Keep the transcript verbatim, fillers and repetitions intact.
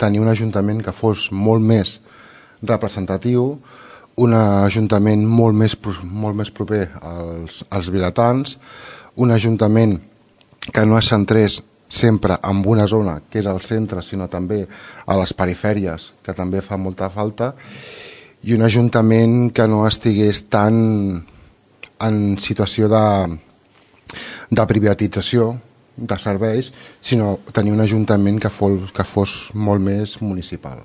tenir un ajuntament que fos molt més representatiu, un ajuntament molt més, molt més proper als, als vilatans, un ajuntament que no es centrés sempre en una zona, que és el centre, sinó també a les perifèries, que també fa molta falta, i un ajuntament que no estigués tan en situació de, de privatització de serveis, sinó tenir un ajuntament que fos, que fos molt més municipal.